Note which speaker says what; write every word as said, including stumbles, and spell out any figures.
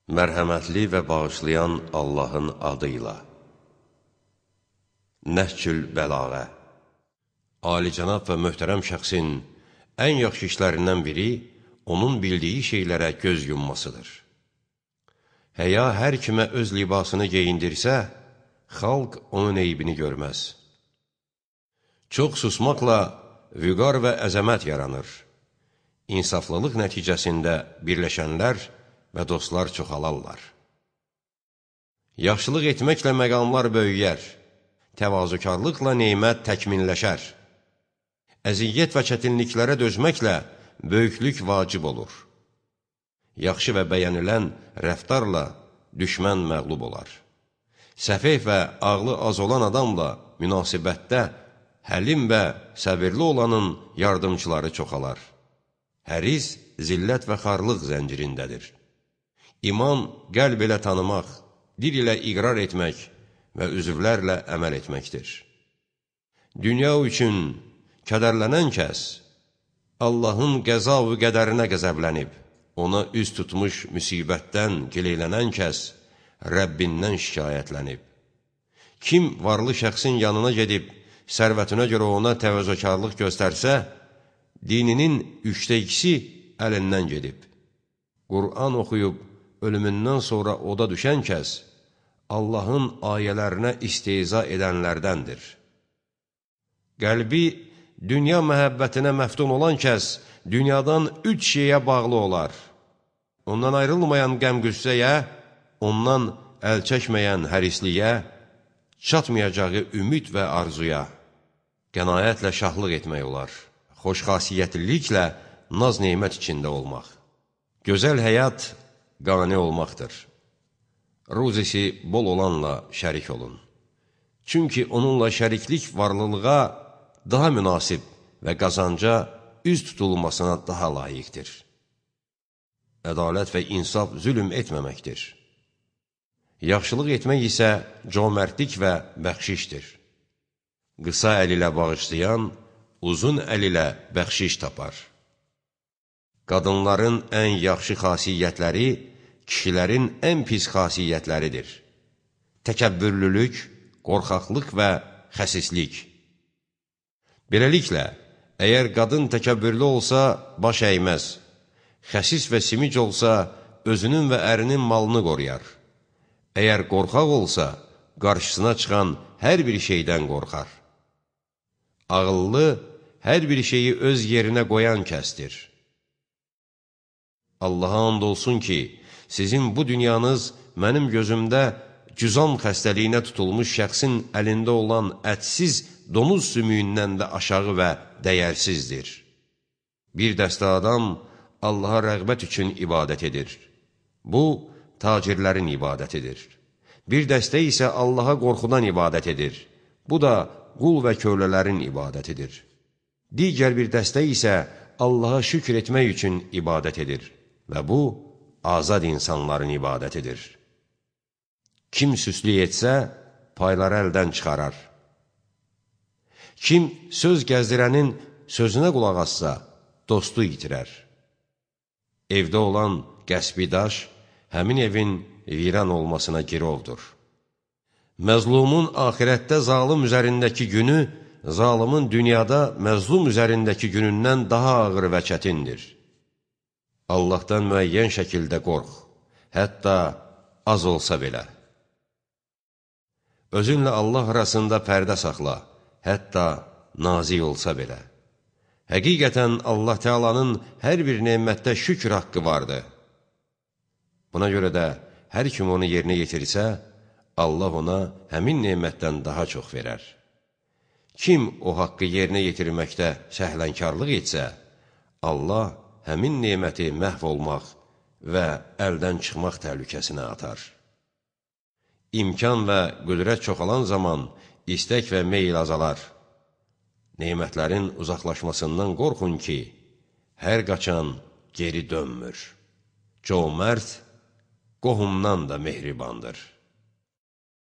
Speaker 1: Mərhəmətli və bağışlayan Allahın adıyla. Nəhcül Bəlağə. Alicənab və möhtərəm şəxsin ən yaxşı işlərindən biri, onun bildiyi şeylərə göz yummasıdır. Həya hər kimə öz libasını geyindirsə, xalq onun eybini görməz. Çox susmaqla vüqar və əzəmət yaranır. İnsaflılıq nəticəsində birləşənlər və dostlar çoxalarlar. Yaxşılıq etməklə məqamlar böyüyər, təvazökarlıqla nemət təkminləşər. Əziyyət və çətinliklərə dözməklə böyüklük vacib olur. Yaxşı və bəyənilən rəftarla düşmən məğlub olar. Səfeh və ağlı az olan adamla münasibətdə həlim və səbirli olanın yardımçıları çoxalar. Həris zillət və xarlıq zəncirindədir. İman qəlb ilə tanımaq, dil ilə iqrar etmək və üzvlərlə əməl etməkdir. Dünya üçün kədərlənən kəs, Allahın qəza və qədərinə qəzəblənib, ona üz tutmuş müsibətdən gileylənən kəs, Rəbbindən şikayətlənib. Kim varlı şəxsin yanına gedib, sərvətinə görə ona təvəzzökarlıq göstərsə, dininin üçdə ikisi əlindən gedib. Qur'an oxuyub, ölümündən sonra oda düşən kəs, Allahın ayələrinə istehza edənlərdəndir. Qəlbi dünya məhəbbətinə məftun olan kəs, dünyadan üç şeyə bağlı olar. Ondan ayrılmayan qəm-qüssəyə, ondan əl çəkməyən hərisliyə, çatmayacağı ümid və arzuya, qənaətlə şahlıq etmək olar, xoşxasiyyətliliklə naz-neymət içində olmaq. Gözəl həyat qani olmaqdır. Ruzisi bol olanla şərik olun. Çünki onunla şəriklik varlılığa daha münasib və qazanca üz tutulmasına daha layiqdir. Ədalət və insaf zülm etməməkdir. Yaxşılıq etmək isə cömərtlik və bəxşişdir. Qısa əl ilə bağışlayan, uzun əl ilə bəxşiş tapar. Qadınların ən yaxşı xasiyyətləri, kişilərin ən pis xasiyyətləridir. Təkəbbürlülük, qorxaqlıq və xəsislik. Beləliklə, əgər qadın təkəbbürlü olsa, baş əyməz. Xəsis və simic olsa, özünün və ərinin malını qoruyar. Əgər qorxaq olsa, qarşısına çıxan hər bir şeydən qorxar. Ağıllı, hər bir şeyi öz yerinə qoyan kəsdir. Allaha and olsun ki, sizin bu dünyanız mənim gözümdə cüzam xəstəliyinə tutulmuş şəxsin əlində olan ətsiz donuz sümüyündən də aşağı və dəyərsizdir. Bir dəstə adam Allaha rəğbət üçün ibadət edir. Bu, tacirlərin ibadətidir. Bir dəstə isə Allaha qorxudan ibadət edir. Bu da qul və kölələrin ibadətidir. Digər bir dəstə isə Allaha şükür etmək üçün ibadət edir. Və bu, azad insanların ibadətidir. Kim süslük etsə, payları əldən çıxarar. Kim söz gəzdirənin sözünə qulaq assa, dostu itirər. Evdə olan qəsbi daş, həmin evin viran olmasına girovdur. Məzlumun axirətdə zalım üzərindəki günü, zalimin dünyada məzlum üzərindəki günündən daha ağır və çətindir. Allahdan müəyyən şəkildə qorx, hətta az olsa belə. Özünlə Allah arasında pərdə saxla, hətta nazik olsa belə. Həqiqətən Allah Teala'nın hər bir nemətdə şükür haqqı vardır. Buna görə də hər kim onu yerinə yetirsə, Allah ona həmin nemətdən daha çox verər. Kim o haqqı yerinə yetirməkdə səhlənkarlıq etsə, Allah həmin neməti məhv olmaq və əldən çıxmaq təhlükəsinə atar. İmkan və qüdrət çoxalan zaman istək və meyl azalar. Nemətlərin uzaqlaşmasından qorxun ki, hər qaçan geri dönmür. Cömərt qohumdan da mehribandır.